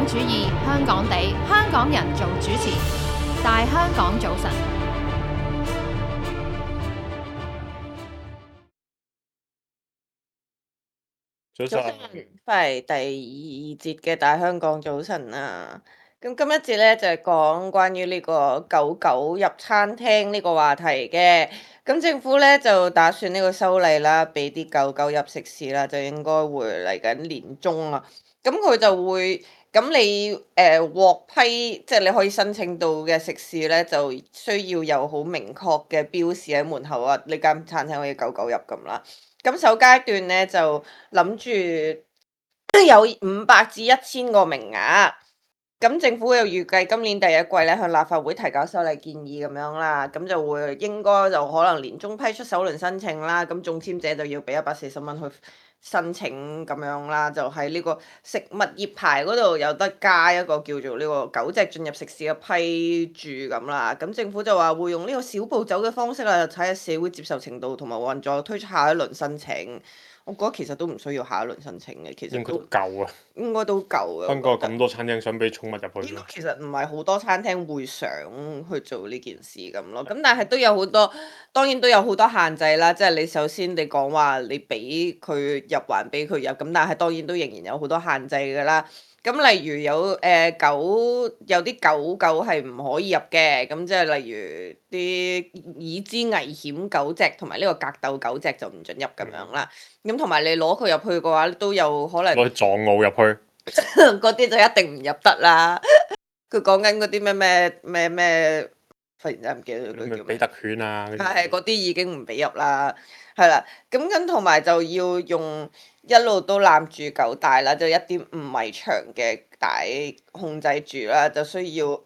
港主義，香港地，香港人做主持，大香港早晨。早早晨，翻嚟第二節嘅大香港早晨啊！咁今一節咧就係講關於呢個狗狗入餐廳呢個話題嘅。咁政府咧就打算呢個修例啦，俾啲狗狗入食肆啦，就應該會嚟緊年中啊。咁佢就會咁你獲批，即係你可以申請到嘅食肆咧，就需要有好明確嘅標示喺門口啊，呢間餐廳可以狗狗入咁啦。咁首階段咧就諗住有500至1000個名額，咁政府又預計今年第一季咧向立法會提交修例建議咁樣啦，咁就會應該就可能年中批出首輪申請啦，咁中籤者就要俾140蚊去申請咁樣啦，就喺呢個食物業牌嗰度有得加一個叫做呢個狗隻進入食肆嘅批注咁啦，咁政府就話會用呢個小步走嘅方式啦，睇下社會接受程度同埋運作推出下一輪申請。我覺得其實都唔需要下一輪申請嘅，其實應該都夠啊！應該都夠嘅。香港有咁多餐廳想俾寵物入去咯。其實唔係好多餐廳會想去做呢件事咁咯，咁但係都有好多，當然都有好多限制啦。即係你首先你講話你俾佢入還俾佢入，咁但係當然都仍然有好多限制㗎啦。咁例如有有啲狗狗係唔可以入嘅，咁即係例如啲已知危險狗隻同埋呢個格鬥狗隻就唔准入咁樣啦。咁同埋你攞佢入去嘅話，都有可能攞去藏獒入去，嗰啲就一定唔入得啦。佢講緊嗰啲咩，忽然之間唔記得咗佢叫咩。咩比特犬啊，係嗰啲已經唔俾入啦，係啦。咁同埋就要用一路都攬住狗帶啦，就1.5米長嘅帶控制住啦，就需要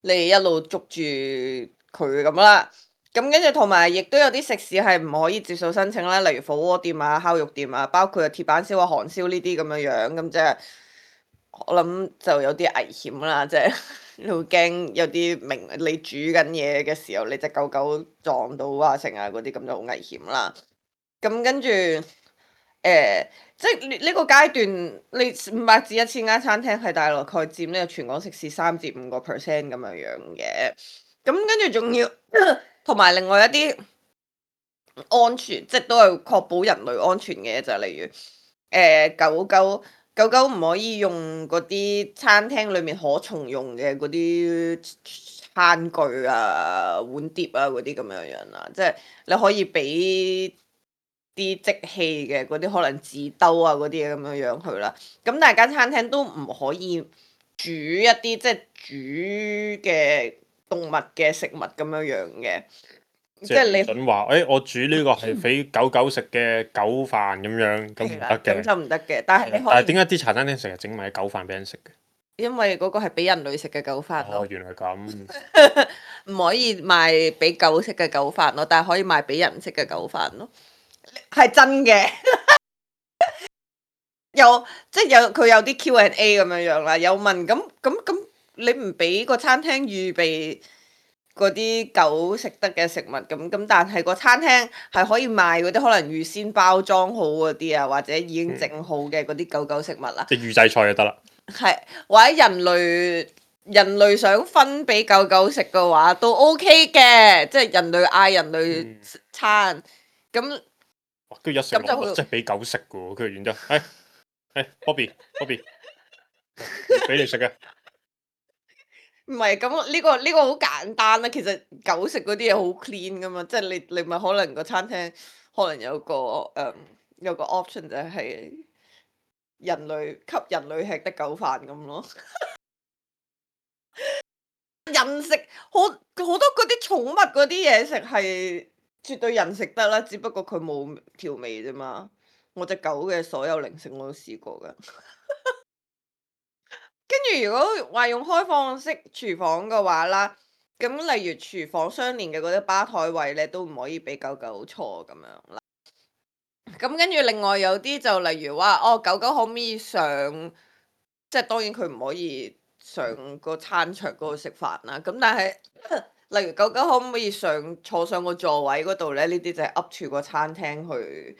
你一路捉住佢咁啦。咁跟住同埋亦都有啲食肆係唔可以接受申請啦，例如火鍋店啊、烤肉店啊，包括鐵板燒啊、韓燒呢啲咁樣樣，咁即係我諗就有啲危險啦，即係你會驚有啲你煮緊嘢嘅時候，你隻狗狗撞到啊成啊嗰啲，咁就好危險啦。咁跟住即係呢個階段，你500至1000間餐廳係大概佔呢個全港食肆3至5%咁樣樣嘅。咁跟住仲要同埋另外一啲安全，即係都係確保人類安全嘅，就係例如狗狗唔可以用嗰啲餐廳裏面可重用嘅嗰啲餐具啊、碗碟啊嗰啲咁樣樣啦，即係你可以俾啲即棄嘅嗰啲可能紙兜啊嗰啲咁樣樣去啦。咁大間餐廳都唔可以煮一啲即係煮嘅動物嘅食物咁樣樣嘅。即係你準話，我煮呢個係俾狗狗食嘅狗飯咁樣，咁唔得嘅。咁就唔得嘅，但係你可以。但係點解啲茶餐廳成日整埋狗飯俾人食嘅？因為嗰個係俾人類食嘅狗飯咯。哦，原來咁。唔可以賣俾狗食嘅狗飯咯，但係可以賣俾人食嘅狗飯咯。係真嘅。即係佢有啲 Q&A 咁樣樣啦，有問咁你唔俾個餐廳預備嗰啲狗食得嘅食物咁，但係個餐廳係可以賣嗰啲可能預先包裝好嗰啲啊，或者已經整好嘅嗰啲狗狗食物啦。即係預製菜就得啦。係，或者人類想分俾狗狗食嘅話都 OK 嘅，即係人類嗌人類餐咁。跟住一食落即係俾狗食嘅喎，跟住然之後，Bobby，俾你食嘅。唔係咁呢個好簡單啦，其實狗食嗰啲嘢好 clean 噶嘛，即係你咪可能個餐廳可能有個option 就係人類給人類吃的狗飯咁咯。人食好多嗰啲寵物嗰啲嘢食係絕對人食得啦，只不過佢冇調味啫嘛。我隻狗嘅所有零食我都試過噶。跟住如果話用開放式廚房嘅話啦，咁例如廚房相連嘅嗰啲吧台位咧，都唔可以俾狗狗坐咁樣啦。咁跟住另外有啲就例如話，狗狗可唔可以上？即係當然佢唔可以上個餐桌嗰度食飯啦。咁但係例如狗狗可唔可以坐上個座位嗰度咧？呢啲就係 up to 個餐廳去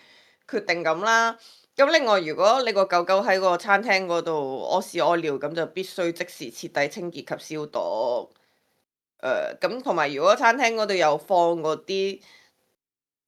決定咁啦。咁另外，如果你個狗狗喺個餐廳嗰度屙屎屙尿，咁就必須即時徹底清潔及消毒。咁同埋如果餐廳嗰度有放嗰啲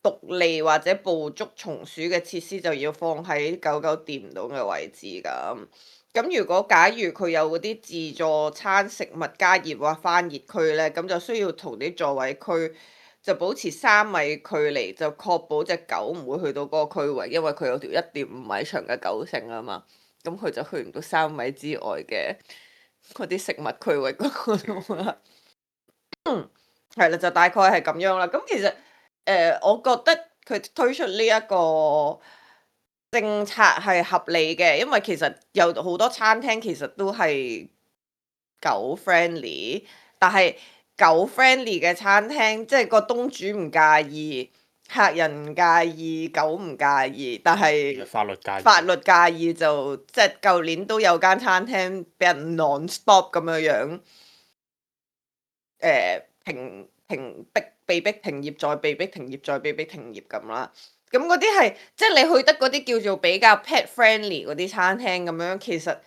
獨利或者捕捉松鼠嘅設施，就要放喺狗狗掂唔到嘅位置咁。咁如果假如佢有嗰啲自助餐食物加熱或翻熱區咧，咁就需要同啲座位區就保持3米距離，就確保隻狗唔會去到嗰個區域，因為佢有條1.5米長嘅狗繩啊嘛，咁佢就去唔到3米之外嘅嗰啲食物區域嗰度啦。係啦，就大概係咁樣啦。咁其實我覺得佢推出呢一個政策係合理嘅，因為其實有好多餐廳其實都係狗 friendly，但係狗 friendly 嘅餐廳，即係個東主唔介意，客人唔介意，狗唔介意，但係法律介意。法律介意就即係舊年都有間餐廳俾人 non-stop 咁樣被逼停業，再被逼停業，再被逼停業咁啦。咁嗰啲係即係你去得嗰啲叫做比較 pet friendly 嗰啲餐廳咁樣，其實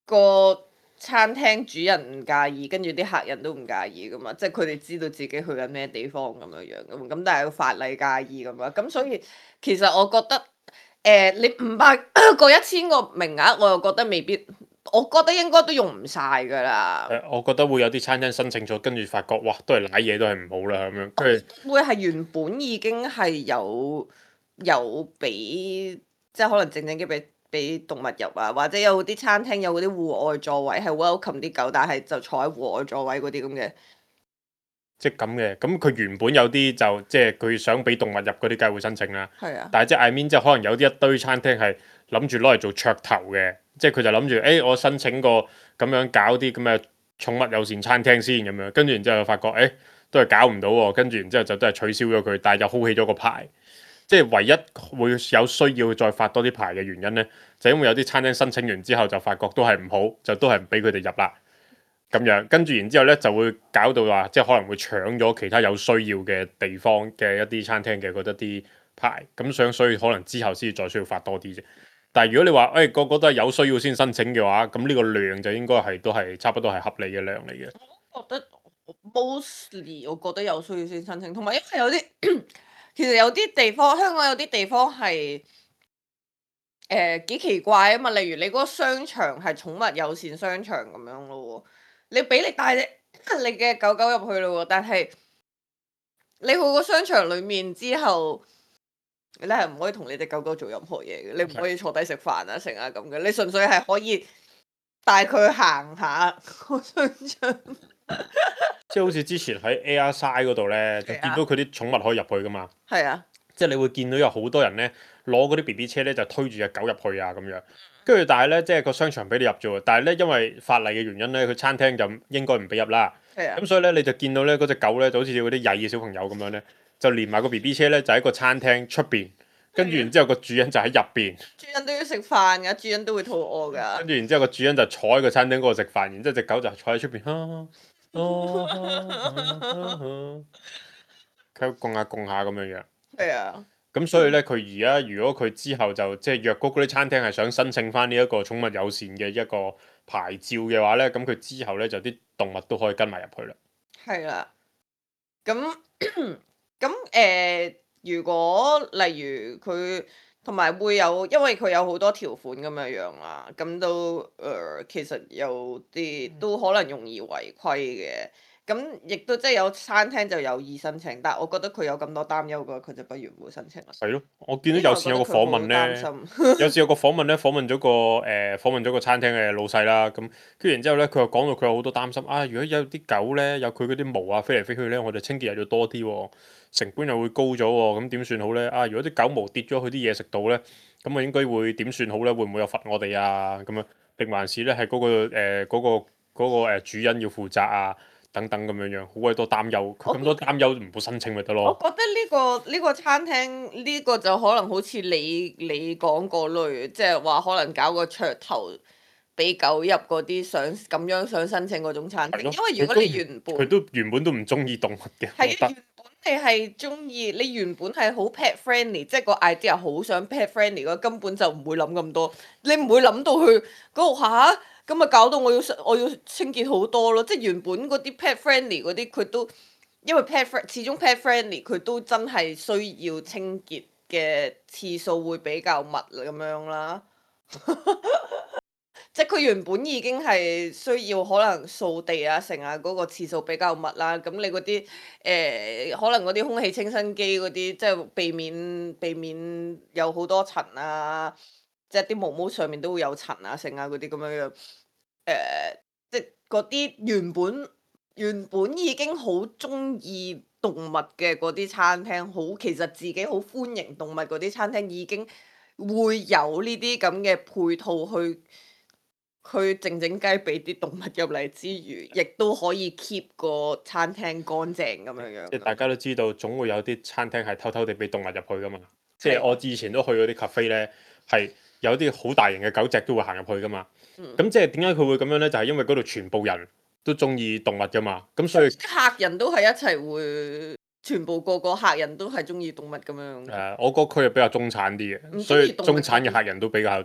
個餐廳主人唔介意，跟住啲客人都唔介意噶嘛，即係佢哋知道自己去緊咩地方咁樣咁但係個法例介意咁樣，咁所以其實我覺得你500個1000個名額，我又覺得未必。我覺得應該都用唔晒㗎啦。我覺得會有啲餐廳申請咗，跟住發覺哇，都係賴嘢，都係唔好啦咁樣。跟住會係原本已經係有俾，即係可能靜靜雞俾動物入啊，或者有啲餐廳有嗰啲戶外座位係 welcome 啲狗，但係就坐喺戶外座位嗰啲咁嘅。即係咁嘅，咁佢原本有啲就即係佢想俾動物入嗰啲，梗係會申請啦。係啊。但係即係 I mean 即係可能有啲一堆餐廳係諗住攞嚟做噱頭嘅，即係佢就諗住我申請個咁樣搞啲咁嘅寵物友善餐廳先咁樣，跟住然之後就發覺都係搞唔到喎，跟住然之後就都係取消咗佢，但係又 hold 起咗個牌。即係唯一會有需要再發多啲牌嘅原因呢，就因為有啲餐廳申請完之後就發覺都係唔好，就都係唔俾佢哋入啦。咁樣跟住然之後咧，就會搞到話，即係可能會搶咗其他有需要嘅地方嘅一啲餐廳嘅嗰啲牌，咁所以可能之後先再需要發多啲啫。但係如果你話個個都係有需要先申請嘅話，咁呢個量就應該都係差不多係合理嘅量嚟嘅。我覺得 mostly 我覺得有需要先申請，同埋因為有啲其實有啲地方，香港有啲地方係幾奇怪啊嘛，例如你嗰個商場係寵物友善商場咁樣咯喎，你俾你帶你嘅狗狗入去咯喎，但係你去個商場裡面之後，你係唔可以同你隻狗狗做任何嘢嘅，你唔可以坐低食飯啊成啊咁嘅，你純粹係可以帶佢去行下個商場。即係好似之前喺 Airside 嗰度咧，就見到佢啲寵物可以入去噶嘛。係啊。即係你會見到有好多人咧攞嗰啲 BB 車咧就推住隻狗入去啊咁樣，跟住但係咧即係個商場俾你入啫喎，但係咧因為法例嘅原因咧，佢餐廳就應該唔俾入啦。係啊。咁所以咧你就見到咧嗰隻狗咧就好似嗰啲曳嘅小朋友咁樣咧，就連埋個 BB 車咧就喺個餐廳出邊，跟住然之後個主人就喺入邊。主人都要食飯㗎，主人都會肚餓㗎。跟住然之後個主人就坐喺個餐廳嗰度食飯，然之後隻狗就坐喺出邊，佢供下供下咁樣樣。係啊。咁所以咧，佢而家如果佢之後就即係若果嗰啲餐廳係想申請翻呢一個寵物友善嘅一個牌照嘅話咧，咁佢之後咧就啲動物都可以跟埋入去啦。係啦。咁如果例如佢同埋會有，因為佢有好多條款咁樣啦，咁都其實有啲都可能容易違規嘅。咁亦都即係有餐廳就有意申請，但係我覺得佢有咁多擔憂嘅話，佢就不如唔好申請啦。係咯，我見到有時有個訪問咧，有時有個訪問咧，訪問咗個餐廳嘅老細啦，咁跟住然之後咧，佢又講到佢有好多擔心啊！如果有啲狗咧，有佢嗰啲毛啊飛嚟飛去咧，我哋清潔又要多啲喎，成本又會高咗喎，咁點算好咧？啊！如果啲狗毛跌咗去啲嘢食度咧，咁我應該會點算好咧？會唔會有罰我哋啊？咁樣定還是咧係嗰個主人要負責啊？等等咁樣樣，好鬼多擔憂，佢咁多擔憂唔好申請咪得咯。我覺得呢個餐廳呢個就可能好似你講嗰類，即係話可能搞個噱頭俾狗入嗰啲想申請嗰種餐廳，因為如果你佢都原本都唔中意動物嘅。係原本你係中意你原本係好 pet friendly，即係個 idea 好想 pet friendly 嗰，根本就唔會諗咁多。你唔會諗到去嗰度嚇，咁咪搞到我要清潔好多咯。即係原本嗰啲 pet friendly 嗰啲，佢都因為始終 pet friendly 佢都真係需要清潔嘅次數會比較密咁樣啦。即係佢原本已經係需要可能掃地啊、成啊嗰個次數比較密啦。咁你嗰啲可能嗰啲空氣清新機嗰啲，即係避免有好多塵啊，即係啲毛毛上面都會有塵啊、成啊嗰啲咁樣樣。即係嗰啲原本已經好中意動物嘅嗰啲餐廳，其實自己好歡迎動物嗰啲餐廳已經會有呢啲咁嘅配套去靜靜雞俾啲動物入嚟之餘，亦都可以 keep 個餐廳乾淨咁樣樣。即係大家都知道，總會有啲餐廳係偷偷地俾動物入去噶嘛。即係係我以前都去嗰啲 cafe 咧，係有啲好大型嘅狗隻都會行入去噶嘛。咁即係點解佢會咁樣咧？就係因為嗰度全部人都中意動物噶嘛。咁所以客人都係一齊會，全部個客人都係中意動物咁樣。我個區係比較中產啲嘅，唔所以鍾意動物中產嘅客人都比較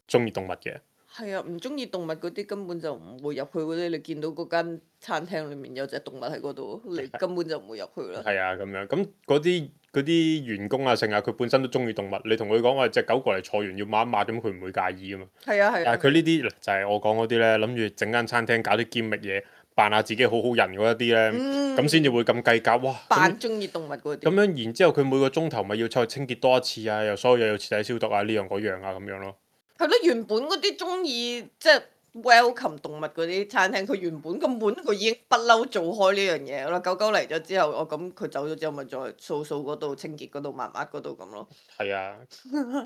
中意動物嘅。係啊，唔中意動物嗰啲根本就唔會入去嗰啲。你見到嗰間餐廳裡面有隻動物喺嗰度，你根本就唔會入去啦。係啊，咁樣咁嗰啲員工啊，成日佢本身都中意動物，你同佢講話隻狗過嚟坐完要抹一抹，咁佢唔會介意噶嘛。係啊係啊。但係佢呢啲就係我講嗰啲咧，諗住整間餐廳搞啲兼覓嘢，扮下自己好好人嗰一啲咧，咁先至會咁計較。哇！扮中意動物嗰啲。咁樣然之後，佢每個鐘頭咪要出去清潔多一次啊，又所有嘢要徹底消毒啊，呢樣嗰樣啊咁樣咯。係咯，原本嗰啲中意即係 welcome 動物嗰啲餐廳，佢原本根本佢已經不嬲做開呢樣嘢啦。狗狗嚟咗之後，咁佢走咗之後，咪再掃嗰度、清潔嗰度、抹抹嗰度咁咯。係啊，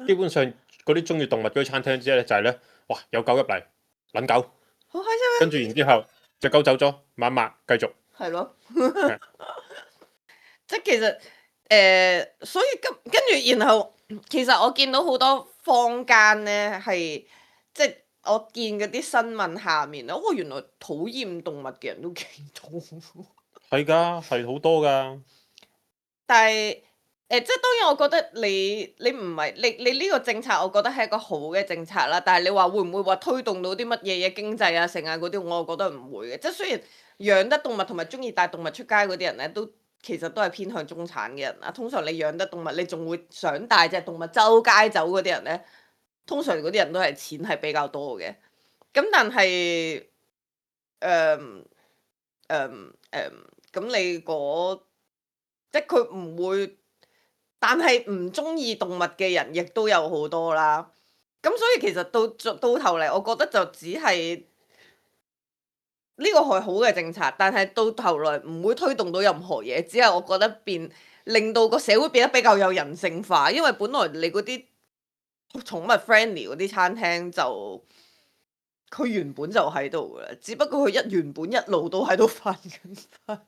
基本上嗰啲中意動物嗰啲餐廳之後咧，就係咧，哇有狗入嚟，撚狗，好開心跟住然之後隻狗走咗，抹一抹繼續。係咯，即係其實所以跟住然後，其實我見到好多坊間咧係即係我見嗰啲新聞下面咧，原來討厭動物嘅人都幾多。係㗎，係好多㗎。但係即係當然，我覺得你唔係你呢個政策，我覺得係一個好嘅政策啦。但係你話會唔會話推動到啲乜嘢嘅經濟啊、成啊嗰啲，我覺得唔會嘅。即係雖然養得動物同埋中意帶動物出街嗰啲人咧，其實都係偏向中產嘅人啊。通常你養得動物，你仲會想帶隻動物周街走嗰啲人咧，通常嗰啲人都係錢係比較多嘅。咁但係咁你即係佢唔會，但係唔中意動物嘅人亦都有好多啦。咁所以其實到頭嚟，我覺得就只係呢個係好嘅政策，但係到頭來唔會推動到任何嘢，只係我覺得令到個社會變得比較有人性化。因為本來你嗰啲寵物 friendly 嗰啲餐廳佢原本就喺度㗎啦，只不過佢原本一路都喺度翻緊翻。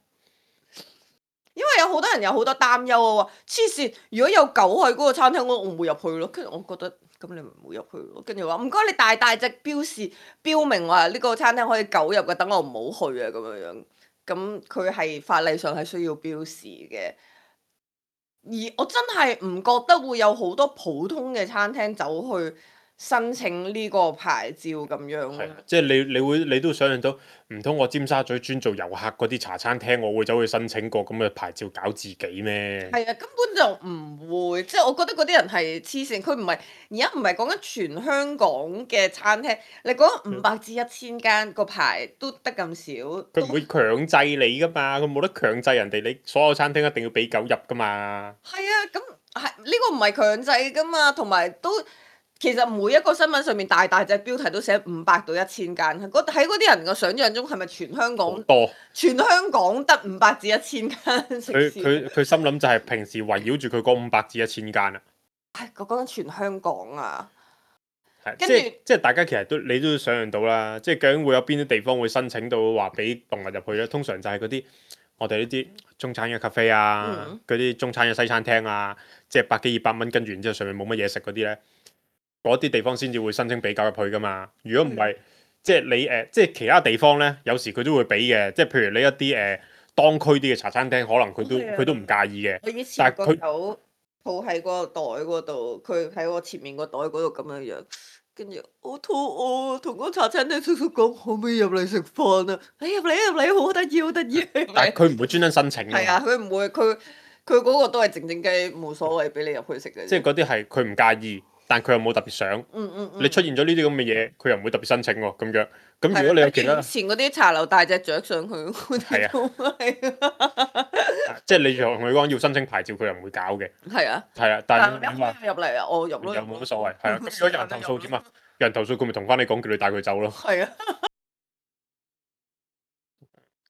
因為有好多人有好多擔憂啊，話黐線，如果有狗喺嗰個餐廳，我唔會入去咯。跟住我覺得咁你唔好入去咯。跟住話唔該，你大隻標明話呢個餐廳可以狗入嘅，等我唔好去啊咁樣樣。咁佢係法例上係需要標示嘅。而我真係唔覺得會有好多普通嘅餐廳走去申請呢個牌照咁樣咯。即係你都想象到，唔通我尖沙咀專做遊客嗰啲茶餐廳，我會走去申請個咁嘅牌照搞自己咩？係啊，根本就唔會。即係我覺得嗰啲人係黐線。佢唔係而家唔係講緊全香港嘅餐廳，你講500至1000間個牌都得咁少。佢唔會強制你噶嘛，佢冇得強制人哋，你所有餐廳一定要俾狗入噶嘛。係啊，咁係呢個唔係強制噶嘛，同埋都。其實每一個新聞上面大隻標題都寫500到1000間，喺嗰啲人嘅想像中係咪全香港多？全香港得500至1000間食肆？佢心諗就係平時圍繞住佢嗰500至1000間啊。係講緊全香港啊！跟住即係大家其實你都想象到啦，即係究竟會有邊啲地方會申請到話俾動物入去咧？通常就係嗰啲我哋呢啲中產嘅 cafe 啊，嗰啲中產嘅西餐廳啊，即係100幾200蚊，跟住然之後上面冇乜嘢食嗰啲咧。嗰啲地方先至會申請俾狗入去噶嘛。如果唔係，即係你即係其他地方咧，有時佢都會俾嘅。即係譬如你一啲當區啲嘅茶餐廳，可能係啊佢都唔介意嘅。我以前個但係佢狗抱喺個袋嗰度，佢喺我前面個袋嗰度咁樣樣，跟住我肚餓，同個茶餐廳叔叔講可唔可以入嚟食飯啊？你入嚟，好得意好得意。但係佢唔會專登申請㗎嘛係啊，佢唔會，佢嗰個都係靜靜雞，冇所謂俾你入去食嘅啫。即係嗰啲係佢唔介意，但佢又冇特別想。你出現咗呢啲咁嘅嘢，佢又唔會特別申請喎。咁樣咁如果你有其他以，前嗰啲茶樓帶隻雀上去，嗰係啲都係即係你同佢講要申請牌照，佢又唔會搞嘅。係啊。係啊，但係但係你話入嚟啊，我入咯。又冇乜所謂。係啊，咁如果有人投訴點啊？有人投訴佢咪同翻你講，叫你帶佢走咯。係啊。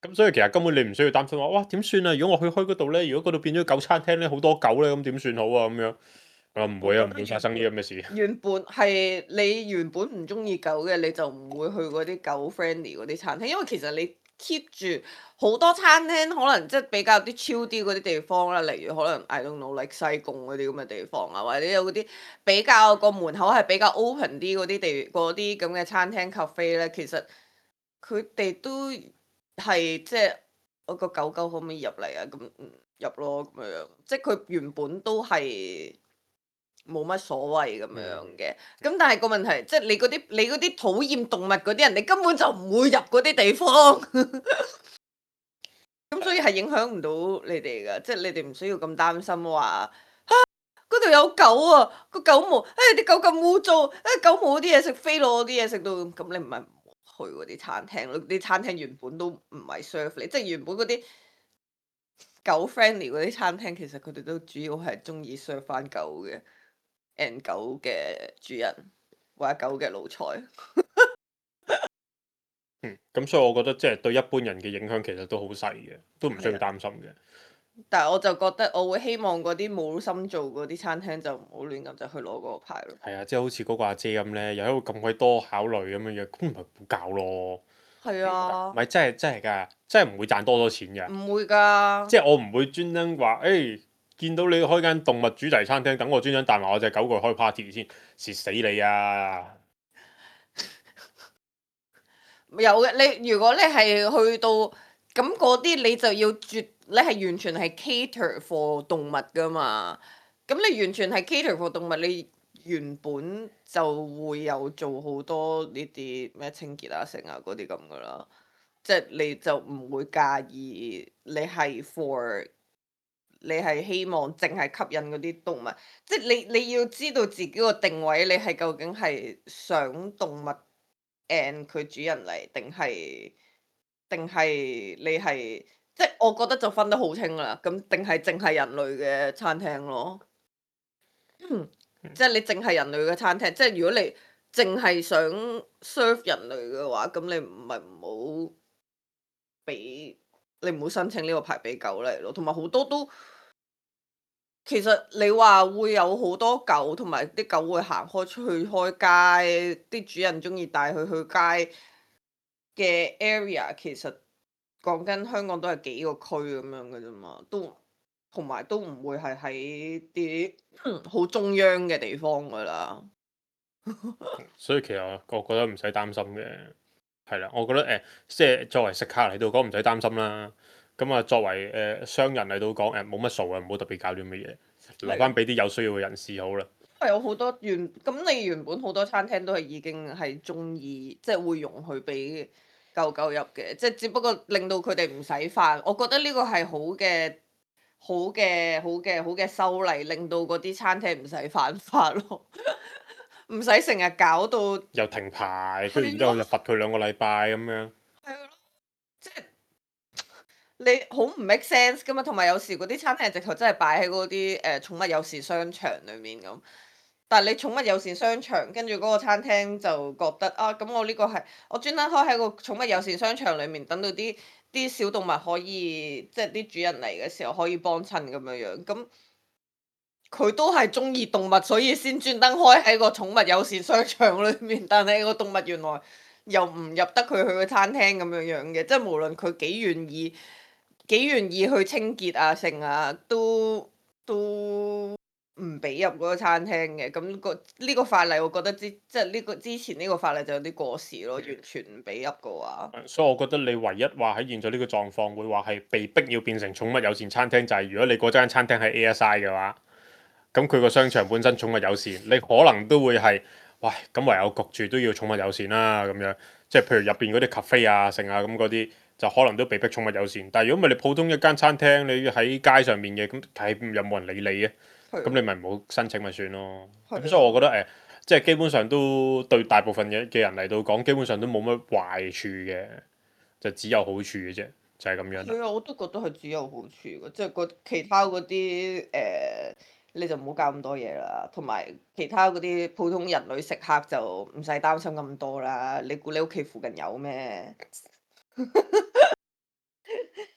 咁所以其實根本你唔需要擔心話，哇點算啊？如果我去開嗰度咧，如果嗰度變咗狗餐廳咧，好多狗咧，咁點算好啊？咁樣啊唔會啊，唔會發生呢啲咁嘅事。原本係你原本唔中意狗嘅，你就唔會去嗰啲狗 friendly 嗰啲餐廳，因為其實你 keep 住好多餐廳，可能即係比較啲 chill 啲嗰啲地方啦，例如可能 I don't know like 西貢嗰啲咁嘅地方啊，或者有嗰啲比較個門口係比較 open 啲嗰啲咁嘅餐廳 cafe 咧，其實佢哋都係即係我個狗狗可唔可以入嚟啊？咁入咯咁樣，即係佢原本都係冇乜所謂咁樣嘅。咁但係個問題，即係你嗰啲討厭動物嗰啲人，你根本就唔會入嗰啲地方。咁所以係影響唔到你哋噶，即係你哋唔需要咁擔心話嗰度有狗啊，個狗毛，啲狗咁污糟，狗毛嗰啲嘢食飛落嗰啲嘢食到，咁你唔係去嗰啲餐廳咯？啲餐廳原本都唔係 serve 你，即係原本嗰啲狗 friendly 嗰啲餐廳，其實佢哋都主要係中意 serve 翻狗嘅 and 狗嘅主人或者狗嘅奴才。咁所以我覺得即係對一般人嘅影響其實都好細嘅，都唔需要擔心嘅。但係我就覺得我會希望嗰啲冇心做嗰啲餐廳就唔好亂咁就去攞嗰個牌咯。係啊，即係好似嗰個阿姐咁咧，又喺度咁鬼多考慮咁樣樣，咁咪唔好搞咯。係啊唔，係真係㗎，真係唔會賺多錢㗎。唔會㗎。即係我唔會專登話，見到你開間動物主題餐廳，等我專登帶埋我隻狗過去開 party 先，蝕死你啊！有嘅，如果你係去到咁嗰啲，你就要你係完全係 cater for 動物㗎嘛。咁你完全係 cater for 動物，你原本就會有做好多呢啲咩清潔啊、剩啊嗰啲咁㗎啦。即係你就唔會介意你係 for 你係希望淨係吸引嗰啲動物，即係你要知道自己個定位，你係究竟係想動物 and 佢主人嚟，定係你係即係我覺得就分得好清啦。咁定係淨係人類嘅餐廳咯。即係你淨係人類嘅餐廳，即係如果你淨係想 serve 人類嘅話，咁你唔好俾你唔好申請呢個牌俾狗嚟咯。同埋好多都其實你話會有好多狗，同埋啲狗會行開出去開街，啲主人中意帶佢去街嘅 area，其實講緊香港都係幾個區咁樣嘅啫嘛，同埋都唔會係喺啲好中央嘅地方噶啦。所以其實我覺得唔使擔心嘅，係啦，我覺得即係作為食客嚟到講唔使擔心啦。咁啊，作為商人嚟到講冇乜數啊，唔好特別搞啲咁嘅嘢，留翻俾啲有需要嘅人士好啦。有好多咁你原本好多餐廳都係已經係中意，即係會容許俾狗狗入嘅，即係只不過令到佢哋唔使飯。我覺得呢個係好嘅修例，令到嗰啲餐廳唔使犯法咯，唔使成日搞到又停牌，跟住然之後就罰佢2個禮拜咁樣。係咯，即係你好唔 make sense 噶嘛。同埋有時嗰啲餐廳直頭真係擺喺嗰啲寵物友善商場裡面咁。但係你寵物友善商場，跟住嗰個餐廳就覺得啊，咁我呢個係我專登開喺個寵物友善商場裡面，等到啲小動物可以即係啲主人嚟嘅時候可以幫襯咁樣樣。咁佢都係中意動物，所以先專登開喺個寵物友善商場裡面。但係個動物原來又唔入得佢去個餐廳咁樣樣嘅，即係無論佢幾願意去清潔啊、剩啊，都唔俾入嗰個餐廳嘅。咁呢個法例，我覺得即係呢個之前呢個法例就有啲過時咯，完全唔俾入嘅話。所以我覺得你唯一話喺現在呢個狀況會話係被逼要變成寵物友善餐廳，就係如果你嗰間餐廳係 ASI 嘅話，咁佢個商場本身寵物友善，你可能都會係，喂，咁唯有焗住都要寵物友善啦咁樣。即係譬如入邊嗰啲 cafe 啊、剩啊咁嗰啲，就可能都被逼寵物友善。但係如果唔係你普通一間餐廳，你喺街上面嘅，咁係有冇人理你嘅？咁你咪唔好申請咪算咯。咁所以我覺得即係基本上都對大部分嘅人嚟到講，基本上都冇乜壞處嘅，就只有好處嘅啫，就係咁樣啦。係啊，我都覺得係只有好處嘅，即係其他嗰啲你就唔好搞咁多嘢啦。同埋其他嗰啲普通人類食客就唔使擔心咁多啦。你估你屋企附近有咩？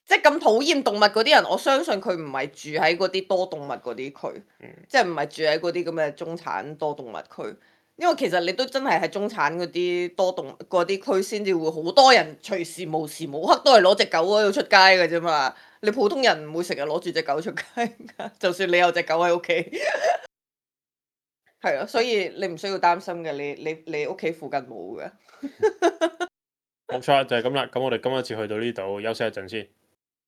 即係咁討厭動物嗰啲人，我相信佢唔係住喺嗰啲多動物嗰啲區，即係唔係住喺嗰啲咁嘅中產多動物區。因為其實你都真係喺中產嗰啲多動嗰啲區先至會好多人隨時無時無刻都係攞隻狗喺度出街嘅啫嘛。你普通人唔會成日攞住隻狗出街㗎，就算你有隻狗喺屋企，係啊，所以你唔需要擔心嘅，你屋企附近冇嘅。冇錯，就係咁啦。咁我哋今日次去到呢度，休息一陣先。